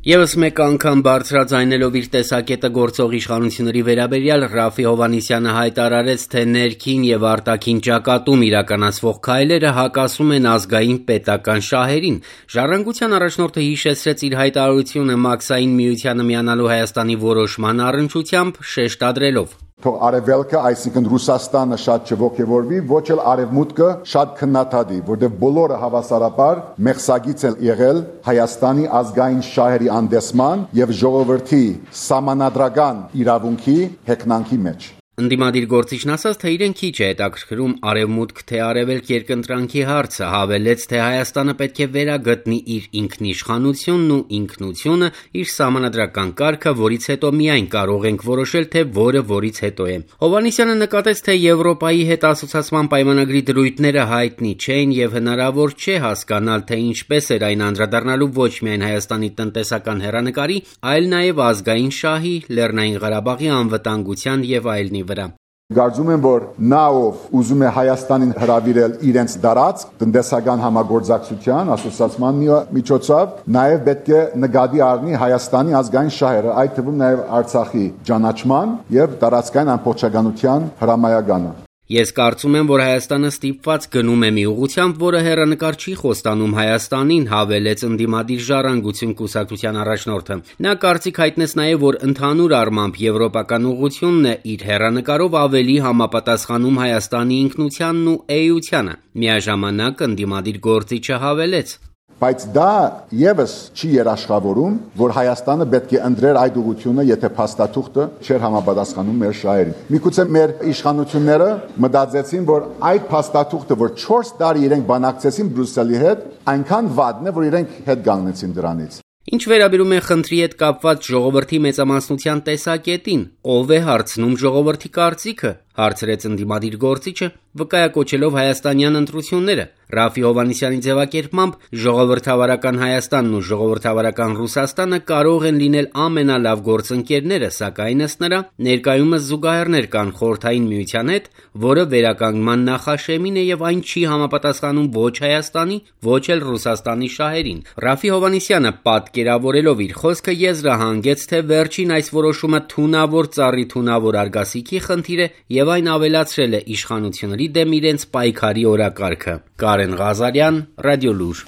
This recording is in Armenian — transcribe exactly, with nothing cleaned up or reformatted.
Եվս մեկ անգամ բարձրաձայնելով իր տեսակետը գործող իշխանությունների վերաբերյալ Ռաֆի Հովհաննիսյանը հայտարարեց, թե ներքին եւ արտաքին ճակատում իրականացվող քայլերը հակասում են ազգային պետական շահերին։ Ժառանգության առաջնորդը հիշեցրեց իր հայտարարությունը Մաքսային միությանը միանալու Հայաստանի որոշման առնչությամբ, շեշտադրելով. Թող արևելքը, այսինքն Ռուսաստանը շատ չողջևորվի, ոչ էլ արևմուտքը շատ քննադատի, որտեղ բոլորը հավասարաբար մեղսագից են եղել Հայաստանի ազգային շահերի անդեսման եւ ժողովրդի սահմանադրական իրավունքի հեգնանքի մեջ։ Ընդդիմադիր գործիչն ասաց, թե իրեն քիչ է հետաքրքրում արևմուտք թե արևելք երկընտրանքի հարցը, հավելեց, թե Հայաստանը պետք է վերագտնի իր ինքնիշխանությունն ու ինքնությունը, իր սահմանադրական կարգը, որից հետո միայն կարող ենք որոշել, թե որը որից հետո է։ Հովհաննիսյանը նկատեց, թե Եվրոպայի հետ ասոցիացման պայմանագրի դրույթները հայտնի չեն եւ հնարավոր չէ հասկանալ, թե ինչպես էր այն անդրադառնալու ոչ միայն Հայաստանի տնտեսական հեռանկարի, այլ նաեւ ազգային շահի, Լեռնային Ղարաբաղի անվտանգության եւ այլնի վրա։ Կարծում եմ, որ նա ով ուզում է Հայաստանին հրավիրել իրենց դարածք տնտեսական համագործակցության ասոցիացման միջոցով, նաև պետք է նկատի առնի Հայաստանի ազգային շահերը, այդ թվում նաև Արցախի ճանաչման եւ տարածքային ամբողջականության հրամայականը։ Ես կարծում եմ, որ Հայաստանը ստիպված գնում է մի ուղղությամբ, որը հեռանկար չի խոստանում Հայաստանին, հավելեց ընդդիմադիր Ժառանգություն կուսակցության առաջնորդը։ Նա կարծիք հայտնեց նաև, որ ընդհանուր առմամբ եվրոպական ուղղությունն է իր հեռանկարով ավելի համապատասխանում Հայաստանի ինքնությանն ու էությանը։ Միաժամանակ ընդդիմադիր գործիչը հավելեց. Բայց դա եւս չի երաշխավորում, որ Հայաստանը պետք է ընտրեր այդ ուղղությունը, եթե փաստաթուղթը չէր համապատասխանում մեր շահերին։ Միգուցե մեր իշխանությունները մտածեցին, որ այդ փաստաթուղթը, որ չորս տարի իրենք բանակցեցին Բրյուսելի հետ, այնքան վատն է, որ իրենք հետ կանգնեցին դրանից։ Ինչ վերաբերում է խնդրի հետ կապված ժողովրդի մեծամասնության տեսակետին, ով է հարցնում ժողովրդի կարծիքը, հարցրեց ընդդիմադիր գործիչը, վկայակոչելով հայաստանյան ընտրությունները։ Ռաֆի Հովհաննիսյանի ձևակերպմամբ ժողովրդավարական Հայաստանն ու ժողովրդավարական Ռուսաստանը կարող են լինել ամենալավ գործընկերները, սակայն ըստ նրա ներկայումս զուգահեռներ կան Խորհրդային Միության հետ, որը վերականգնման նախաշեմին է եւ այն չի համապատասխանում ոչ Հայաստանի, ոչ էլ Ռուսաստանի շահերին։ Ռաֆի Հովհաննիսյանը պատկերավորելով իր խոսքը եզրահանգեց, թե վերջին այս որոշումը թունավոր ծառի թունավոր արգասիքի խնդիր է եւ այն ավելացրել է իշխանությունների դեմ իրենց պայքարի օրակարգը։ Կարեն Ղազարյան, Ռադիոլուր։